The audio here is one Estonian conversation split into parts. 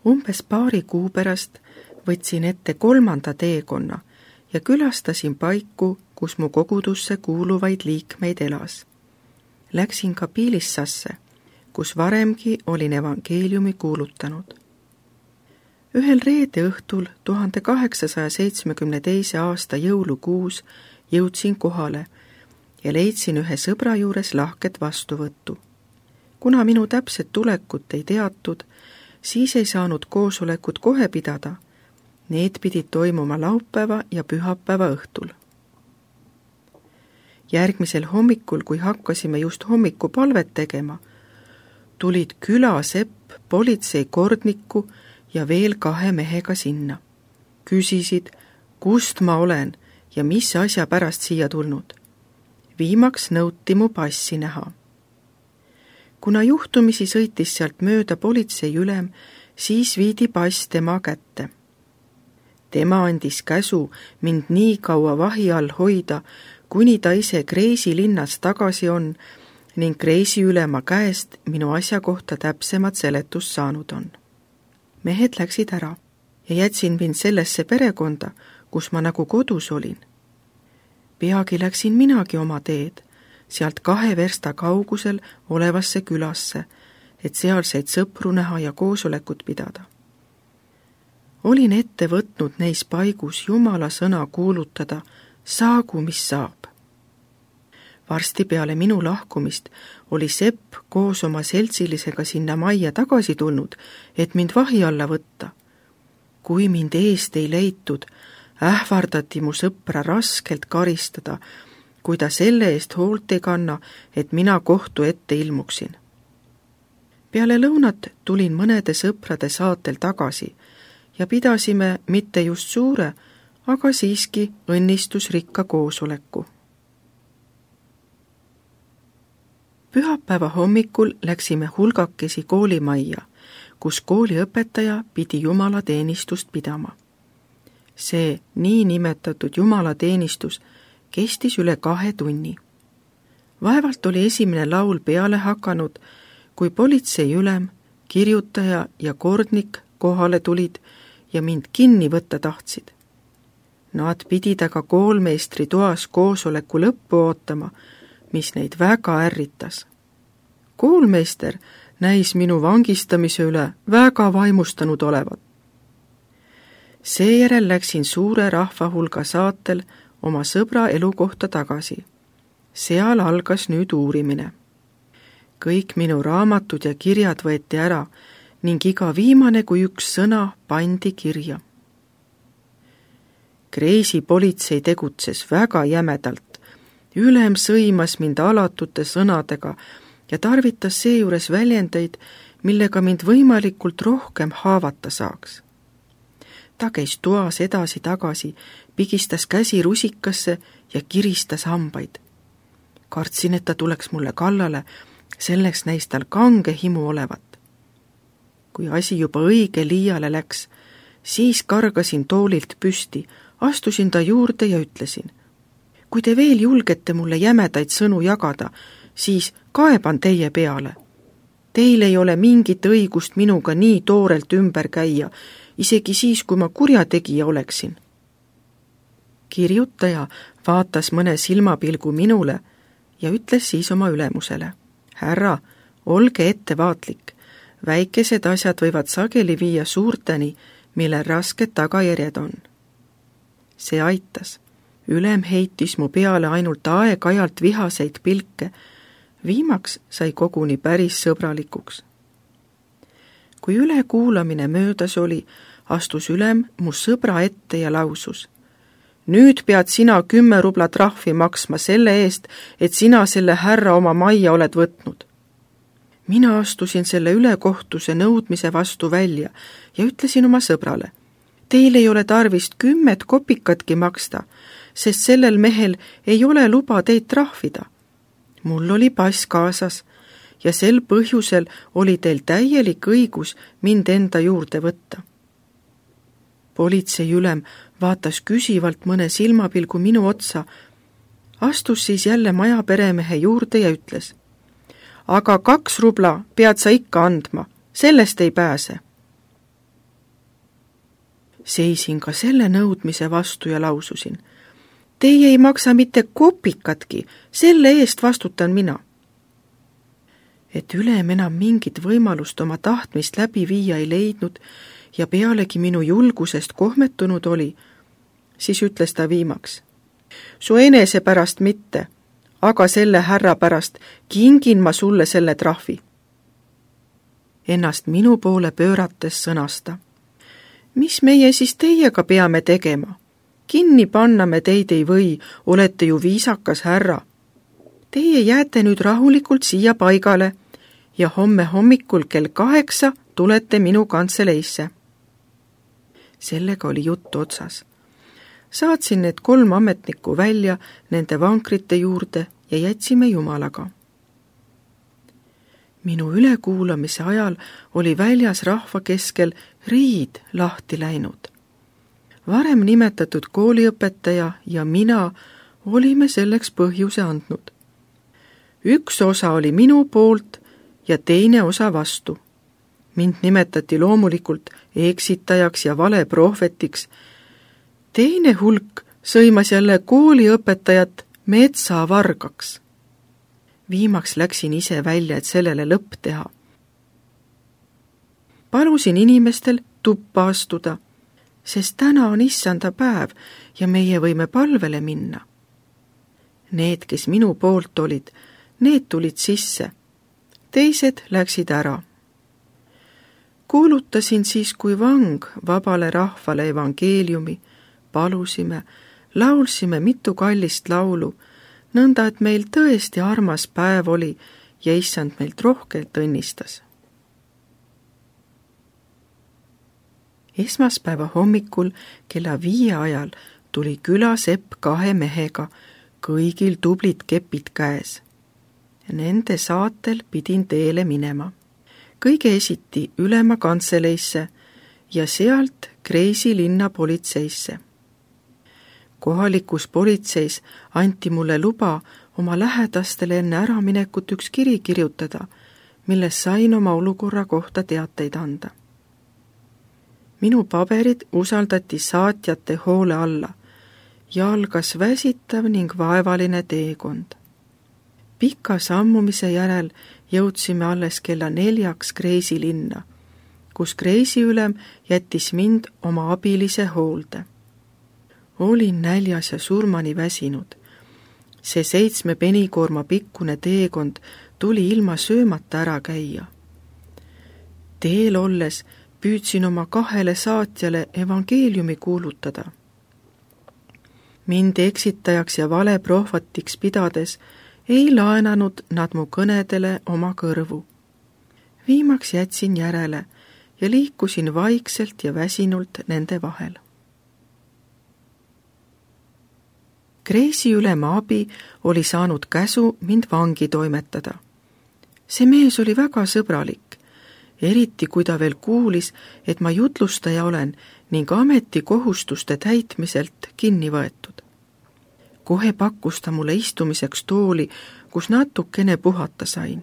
Umbes paari kuu pärast võtsin ette 3. teekonna ja külastasin paiku, kus mu kogudusse kuuluvaid liikmeid elas. Läksin ka Piilissasse, kus varemgi olin evangeeliumi kuulutanud. Ühel reede õhtul 1872. aasta jõulukuus jõudsin kohale ja leidsin ühe sõbra juures lahket vastuvõttu. Kuna minu täpset tulekut ei teatud, siis ei saanud koosolekut kohe pidada. Need pidid toimuma laupäeva ja pühapäeva õhtul. Järgmisel hommikul, kui hakkasime just hommikupalvet tegema, tulid külasepp, politseikordniku ja veel 2 mehega sinna. Küsisid, kust ma olen ja mis asja pärast siia tulnud. Viimaks nõuti mu passi näha. Kuna juhtumisi sõitis sealt mööda politseiülem, siis viidi pass tema kätte. Tema andis käsu mind nii kaua vahi all hoida, kuni ta ise Kreisi linnas tagasi on ning Kreisiülema käest minu asja kohta täpsemat seletust saanud on. Mehed läksid ära ja jätsin mind sellesse perekonda, kus ma nagu kodus olin. Peagi läksin minagi oma teed, sealt 2 versta kaugusel olevasse külasse, et sealseid sõpru näha ja koosolekut pidada. Olin ette võtnud neis paigus Jumala sõna kuulutada, saagu mis saab. Varsti peale minu lahkumist oli Sepp koos oma seltsilisega sinna majja tagasi tulnud, et mind vahi alla võtta. Kui mind eest ei leitud, ähvardati mu sõpra raskelt karistada, kui ta selle eest hoolt ei kanna, et mina kohtu ette ilmuksin. Peale lõunat tulin mõnede sõprade saatel tagasi ja pidasime mitte just suure, aga siiski õnnistusrikka koosoleku. Pühapäeva hommikul läksime hulgakesi koolimajja, kus kooliõpetaja pidi jumalateenistust pidama. See niinimetatud jumalateenistus kestis üle 2 tunni. Vaevalt oli esimene laul peale hakanud, kui politseiülem, kirjutaja ja kordnik kohale tulid ja mind kinni võtta tahtsid. Nad pidid aga koolmeistri toas koosoleku lõppu ootama, mis neid väga ärritas. Koolmeister näis minu vangistamise üle väga vaimustanud olevat. Seejärel läksin suure rahvahulga saatel oma sõbra elukohta tagasi. Seal algas nüüd uurimine. Kõik minu raamatud ja kirjad võeti ära ning iga viimane kui üks sõna pandi kirja. Kreisi politsei tegutses väga jämedalt. Ülem sõimas mind alatute sõnadega ja tarvitas seejuures väljendeid, millega mind võimalikult rohkem haavata saaks. Ta käis toas edasi-tagasi, pigistas käsi rusikasse ja kiristas hambaid. Kartsin, et ta tuleks mulle kallale, selleks näis tal kange himu olevat. Kui asi juba õige liiale läks, siis kargasin toolilt püsti, astusin ta juurde ja ütlesin: kui te veel julgete mulle jämedaid sõnu jagada, siis kaeban teie peale. Teil ei ole mingit õigust minuga nii toorelt ümber käia, isegi siis, kui ma kurjategija oleksin. Kirjutaja vaatas mõne silmapilgu minule ja ütles siis oma ülemusele: härra, olge ettevaatlik, väikesed asjad võivad sageli viia suurteni, millel rasked tagajärjed on. See aitas. Ülem heitis mu peale ainult aeg-ajalt vihaseid pilke, viimaks sai koguni päris sõbralikuks. Kui ülekuulamine möödas oli, astus ülem mu sõbra ette ja lausus: nüüd pead sina 10 rubla trahvi maksma selle eest, et sina selle härra oma majja oled võtnud. Mina astusin selle ülekohtuse nõudmise vastu välja ja ütlesin oma sõbrale: teil ei ole tarvist 10 kopikatki maksta, sest sellel mehel ei ole luba teid trahvida. Mul oli pass kaasas ja sel põhjusel oli teil täielik õigus mind enda juurde võtta. Politseiülem vaatas küsivalt mõne silmapilgu minu otsa, astus siis jälle maja peremehe juurde ja ütles: aga 2 rubla pead sa ikka andma, sellest ei pääse. Seisin ka selle nõudmise vastu ja laususin: teie ei maksa mitte kopikatki, selle eest vastutan mina. Et ülem enam mingit võimalust oma tahtmist läbi viia ei leidnud ja pealegi minu julgusest kohmetunud oli, siis ütles ta viimaks: su enese pärast mitte, aga selle härra pärast kingin ma sulle selle trahvi. Ennast minu poole pöörates sõnas ta: mis meie siis teiega peame tegema? Kinni panna me teid ei või, olete ju viisakas härra. Teie jääte nüüd rahulikult siia paigale ja homme hommikul kell 8 tulete minu kantseleisse. Sellega oli jutt otsas. Saatsin need 3 ametnikku välja nende vankrite juurde ja jätsime Jumalaga. Minu ülekuulamise ajal oli väljas rahva keskel riid lahti läinud. Varem nimetatud kooliõpetaja ja mina olime selleks põhjuse andnud. Üks osa oli minu poolt ja teine osa vastu. Mind nimetati loomulikult eksitajaks ja valeprohvetiks. Teine hulk sõimas jälle kooliõpetajat metsavargaks. Viimaks läksin ise välja, et sellele lõpp teha. Palusin inimestel tuppa astuda, sest täna on issanda päev ja meie võime palvele minna. Need, kes minu poolt olid, need tulid sisse. Teised läksid ära. Kuulutasin siis kui vang vabale rahvale evangeeliumi, palusime, laulsime mitu kallist laulu, nõnda, et meil tõesti armas päev oli ja issand meilt rohkelt õnnistas. Esmaspäeva hommikul kella 5 ajal tuli külasepp 2 mehega, kõigil tublid kepid käes. Nende saatel pidin teele minema. Kõige esiti ülema kantseleisse ja sealt Kreisi linna politseisse. Kohalikus politseis anti mulle luba oma lähedastele enne äraminekut üks kiri kirjutada, milles sain oma olukorra kohta teateid anda. Minu paberid usaldati saatjate hoole alla ja algas väsitav ning vaevaline teekond. Pika sammumise järel jõudsime alles kella 4 Kreisi linna, kus kreisiülem jättis mind oma abilise hoolde. Olin näljas ja surmani väsinud. See 7 penikoorma pikkune teekond tuli ilma söömata ära käia. Teel olles püüdsin oma 2 saatjale evangeeliumi kuulutada. Mind eksitajaks ja valeprohvatiks pidades ei laenanud nad mu kõnedele oma kõrvu. Viimaks jätsin järele ja liikusin vaikselt ja väsinult nende vahel. Kreisiülema abi oli saanud käsu mind vangi toimetada. See mees oli väga sõbralik, eriti kui ta veel kuulis, et ma jutlustaja olen ning ametikohustuste täitmiselt kinni võetud. Kohe pakkus ta mulle istumiseks tooli, kus natukene puhata sain.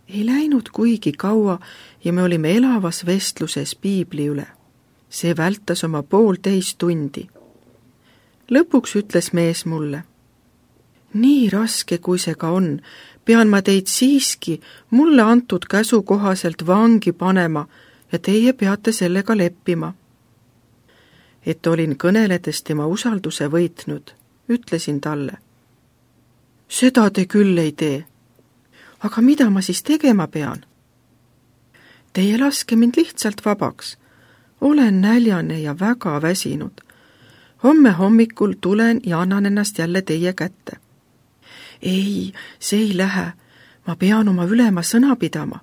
Ei läinud kuigi kaua ja me olime elavas vestluses piibli üle. See vältas oma 1,5 tundi. Lõpuks ütles mees mulle: nii raske kui see ka on, pean ma teid siiski mulle antud käsu kohaselt vangi panema ja teie peate sellega leppima. Et olin kõneledes tema usalduse võitnud, ütlesin talle: seda te küll ei tee. Aga mida ma siis tegema pean? Teie laske mind lihtsalt vabaks. Olen näljane ja väga väsinud. Homme hommikul tulen ja annan ennast jälle teie kätte. Ei, see ei lähe. Ma pean oma ülema sõna pidama.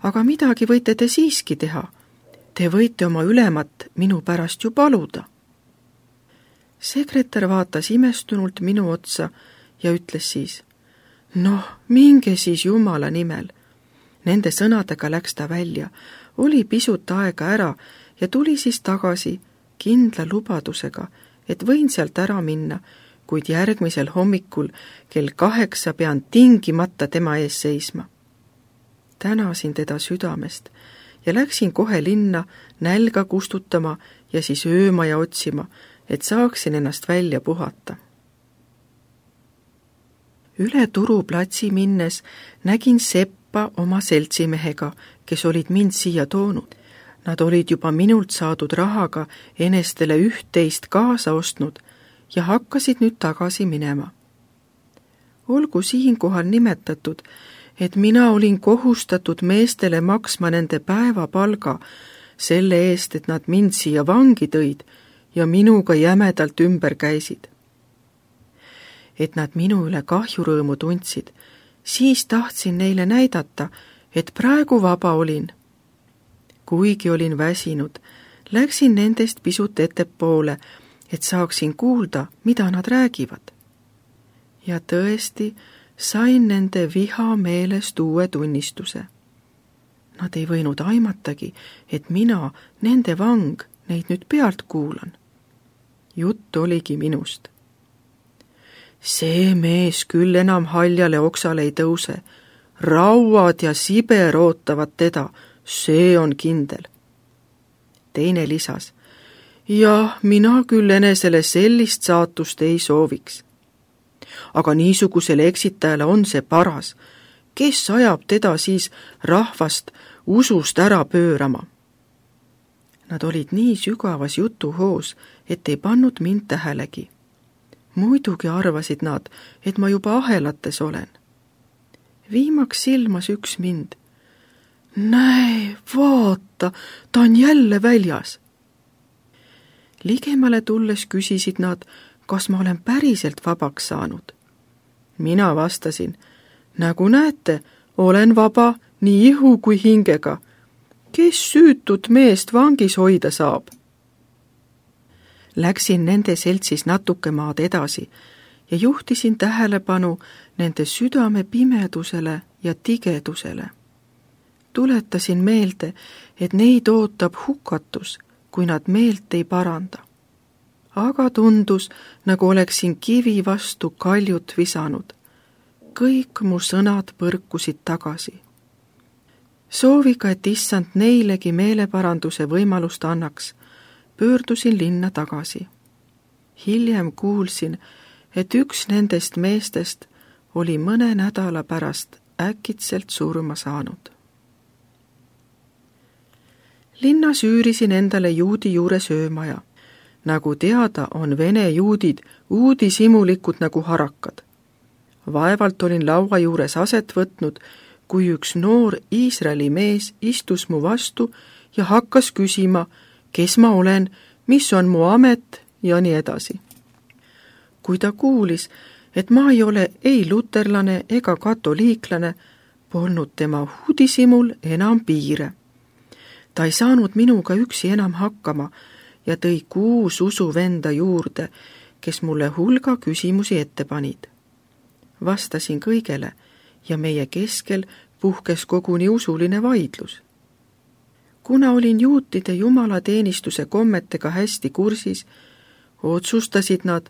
Aga midagi võite te siiski teha. Te võite oma ülemat minu pärast ju paluda. Sekretär vaatas imestunult minu otsa ja ütles siis: noh, minge siis Jumala nimel. Nende sõnadega läks ta välja, oli pisut aega ära ja tuli siis tagasi kindla lubadusega, et võin sealt ära minna, kuid järgmisel hommikul kell 8 pean tingimata tema ees seisma. Tänasin teda südamest ja läksin kohe linna nälga kustutama ja siis öömaja otsima, et saaksin ennast välja puhata. Üle Turuplatsi minnes nägin Seppa oma seltsimehega, kes olid mind siia toonud. Nad olid juba minult saadud rahaga enestele üht-teist kaasa ostnud ja hakkasid nüüd tagasi minema. Olgu siinkohal nimetatud, et mina olin kohustatud meestele maksma nende päevapalga selle eest, et nad mind siia vangi tõid ja minuga jämedalt ümber käisid. Et nad minu üle kahjurõõmu tundsid, siis tahtsin neile näidata, et praegu vaba olin. Kuigi olin väsinud, läksin nendest pisut ettepoole, et saaksin kuulda, mida nad räägivad. Ja tõesti sain nende viha meelest uue tunnistuse. Nad ei võinud aimatagi, et mina, nende vang, neid nüüd pealt kuulan. Jutt oligi minust. See mees küll enam haljale oksale ei tõuse. Rauad ja Siber ootavad teda, see on kindel. Teine lisas, ja mina küll enesele sellist saatust ei sooviks. Aga niisugusele eksitajale on see paras. Kes ajab teda siis rahvast usust ära pöörama? Nad olid nii sügavas jutuhoos, et ei pannud mind tähelegi. Muidugi arvasid nad, et ma juba ahelates olen. Viimaks silmas üks mind. Näe, vaata, ta on jälle väljas. Ligemale tulles küsisid nad, kas ma olen päriselt vabaks saanud. Mina vastasin, nagu näete, olen vaba nii ihu kui hingega. Kes süütut meest vangis hoida saab? Läksin nende seltsis natuke maad edasi ja juhtisin tähelepanu nende südame pimedusele ja tigedusele. Tuletasin meelde, et neid ootab hukatus, kui nad meelt ei paranda. Aga tundus, nagu oleksin kivi vastu kaljut visanud. Kõik mu sõnad põrkusid tagasi. Sooviga, et issand neilegi meeleparanduse võimalust annaks, pöördusin linna tagasi. Hiljem kuulsin, et üks nendest meestest oli mõne nädala pärast äkitselt surma saanud. Linnas üürisin endale juudi juures öömaja. Nagu teada, on vene juudid uudishimulikud nagu harakad. Vaevalt olin laua juures aset võtnud, kui üks noor Iisraeli mees istus mu vastu ja hakkas küsima, kes ma olen, mis on mu amet ja nii edasi. Kui ta kuulis, et ma ei ole ei luterlane ega katoliiklane, polnud tema uudishimul enam piire. Ta ei saanud minuga üksi enam hakkama ja tõi 6 usuvenda juurde, kes mulle hulga küsimusi ette panid. Vastasin kõigele ja meie keskel puhkes koguni usuline vaidlus. Kuna olin juutide jumalateenistuse kommetega hästi kursis, otsustasid nad,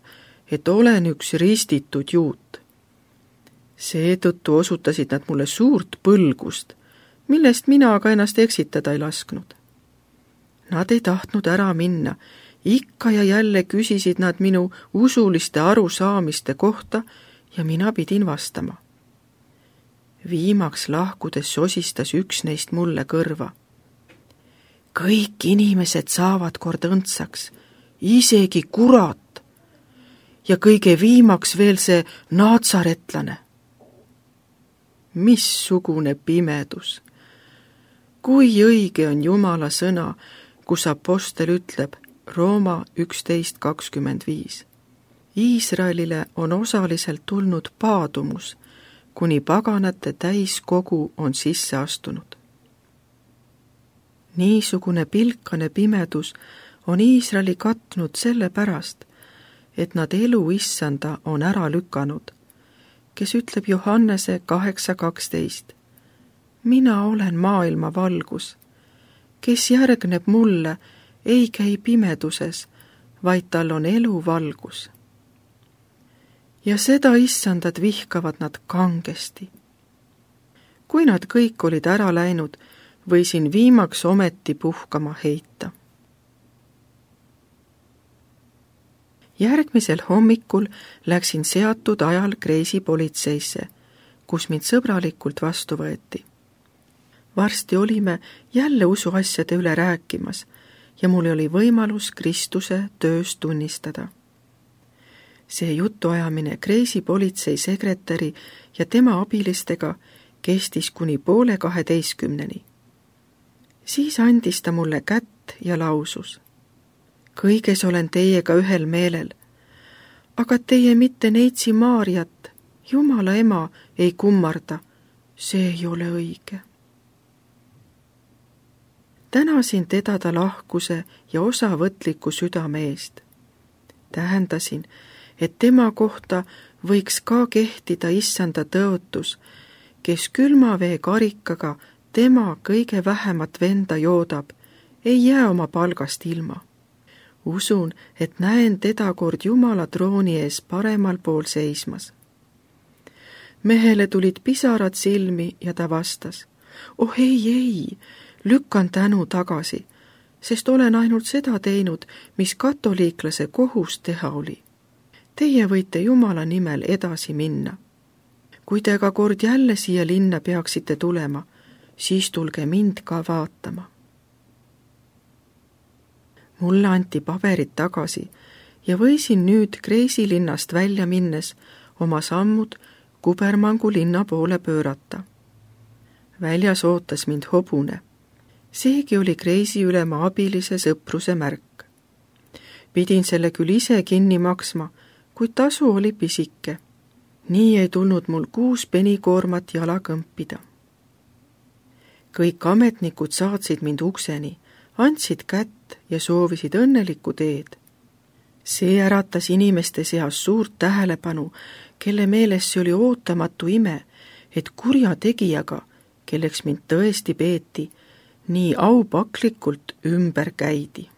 et olen üks ristitud juut. Seetõttu osutasid nad mulle suurt põlgust, millest mina aga ennast eksitada ei lasknud. Nad ei tahtnud ära minna, ikka ja jälle küsisid nad minu usuliste arusaamiste kohta ja mina pidin vastama. Viimaks lahkudes sosistas üks neist mulle kõrva. Kõik inimesed saavad kord õndsaks, isegi kurat. Ja kõige viimaks veel see naatsaretlane. Missugune pimedus! Kui õige on Jumala sõna, kus apostel ütleb Rooma 11.25. Iisraelile on osaliselt tulnud paadumus, kuni paganate täiskogu on sisse astunud. Niisugune pilkane pimedus on Iisraeli katnud selle pärast, et nad elu issanda on ära lükanud, kes ütleb Johannese 8.12. Mina olen maailma valgus, kes järgneb mulle, ei käi pimeduses, vaid tal on elu valgus. Ja seda issandat vihkavad nad kangesti. Kui nad kõik olid ära läinud, võisin viimaks ometi puhkama heita. Järgmisel hommikul läksin seatud ajal Kreisi politseisse, kus mind sõbralikult vastu võeti. Varsti olime jälle usuasjade üle rääkimas ja mul oli võimalus Kristuse töös tunnistada. See jutuajamine Kreisi politsei sekretäri ja tema abilistega kestis kuni 11:30. Siis andis ta mulle kätt ja lausus: kõiges olen teiega ühel meelel, aga teie mitte neitsi Maarjat, Jumala ema, ei kummarda, see ei ole õige. Tänasin teda ta lahkuse ja osavõtliku südame eest. Tähendasin, et tema kohta võiks ka kehtida issanda tõotus, kes külma vee karikaga tema kõige vähemat venda joodab, ei jää oma palgast ilma. Usun, et näen teda kord Jumala trooni ees paremal pool seismas. Mehele tulid pisarad silmi ja ta vastas: oh ei, lükkan tänu tagasi, sest olen ainult seda teinud, mis katoliiklase kohus teha oli. Teie võite Jumala nimel edasi minna. Kui te ka kord jälle siia linna peaksite tulema, siis tulge mind ka vaatama. Mulle anti paberid tagasi ja võisin nüüd Kreisi linnast välja minnes oma sammud Kubermangu linna poole pöörata. Väljas ootas mind hobune. Seegi oli Kreisi ülema abilise sõpruse märk. Pidin selle küll ise kinni maksma, kuid tasu oli pisike. Nii ei tulnud mul 6 penikoormat jala kõmpida. Kõik ametnikud saatsid mind ukseni, andsid kätt ja soovisid õnnelikku teed. See äratas inimeste seas suurt tähelepanu, kelle meeles see oli ootamatu ime, et kurjategijaga, kelleks mind tõesti peeti, nii aupaklikult ümber käidi.